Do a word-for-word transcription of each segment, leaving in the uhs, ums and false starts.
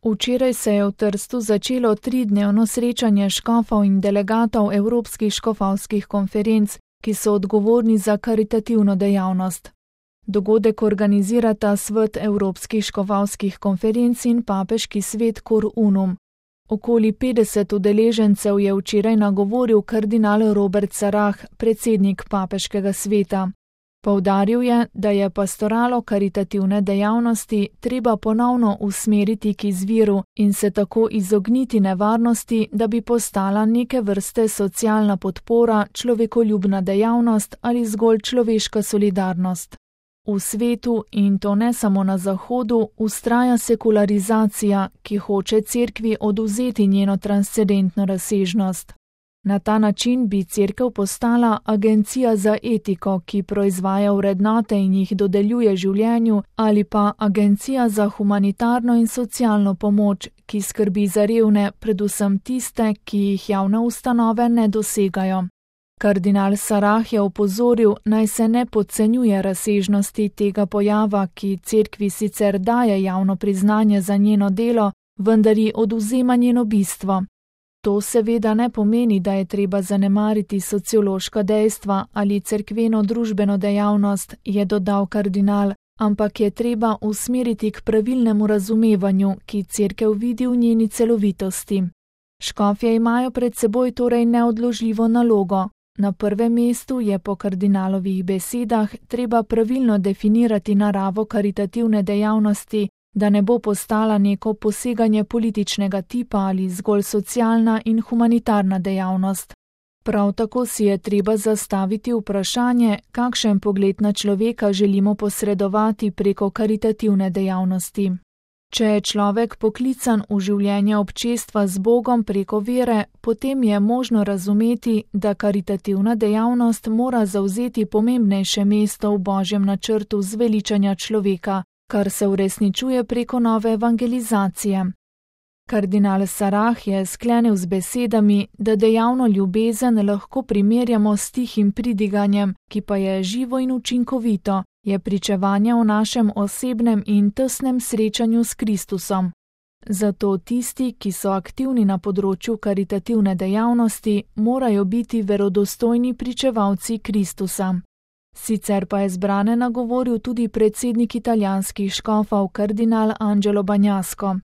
Včeraj se je v Trstu začelo tridnevno srečanje škofov in delegatov Evropskih škofovskih konferenc, ki so odgovorni za karitativno dejavnost. Dogodek organizirata Svet Evropskih škofovskih konferenc in Papeški svet Cor Unum. Okoli petdeset udeležencev je včeraj nagovoril kardinal Robert Sarah, predsednik Papeškega sveta. Poudaril je, da je pastoralo karitativne dejavnosti treba ponovno usmeriti k izviru in se tako izogniti nevarnosti, da bi postala neke vrste socialna podpora, človekoljubna dejavnost ali zgolj človeška solidarnost. V svetu, in to ne samo na Zahodu, vztraja sekularizacija, ki hoče cerkvi odvzeti njeno transcendentno razsežnost. Na ta način bi cerkev postala agencija za etiko, ki proizvaja vrednote in jih dodeljuje življenju, ali pa agencija za humanitarno in socialno pomoč, ki skrbi za revne, predvsem tiste, ki jih javne ustanove ne dosegajo. Kardinal Sarah je opozoril, naj se ne podcenjuje razsežnosti tega pojava, ki cerkvi sicer daje javno priznanje za njeno delo, vendar ji odvzema njeno bistvo. To seveda ne pomeni, da je treba zanemariti sociološka dejstva ali cerkveno-družbeno dejavnost, je dodal kardinal, ampak je treba usmeriti k pravilnemu razumevanju, ki cerkev vidi v njeni celovitosti. Škofje imajo pred seboj torej neodložljivo nalogo. Na prvem mestu je po kardinalovih besedah treba pravilno definirati naravo karitativne dejavnosti, da ne bo postala neko poseganje političnega tipa ali zgolj socialna in humanitarna dejavnost. Prav tako si je treba zastaviti vprašanje, kakšen pogled na človeka želimo posredovati preko karitativne dejavnosti. Če je človek poklican v življenje občestva z Bogom preko vere, potem je možno razumeti, da karitativna dejavnost mora zavzeti pomembnejše mesto v Božjem načrtu zveličanja človeka, kar se uresničuje preko nove evangelizacije. Kardinal Sarah je sklenil z besedami, da dejavno ljubezen lahko primerjamo s tihim pridiganjem, ki pa je živo in učinkovito, je pričevanje o našem osebnem in tesnem srečanju s Kristusom. Zato tisti, ki so aktivni na področju karitativne dejavnosti, morajo biti verodostojni pričevalci Kristusa. Sicer pa je zbrane nagovoril tudi predsednik italijanskih škofov kardinal Angelo Bagnasco.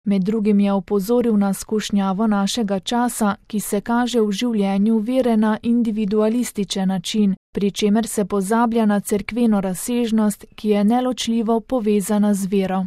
Med drugim je opozoril na skušnjavo našega časa, ki se kaže v življenju vere na individualističen način, pri čemer se pozablja na cerkveno razsežnost, ki je neločljivo povezana z vero.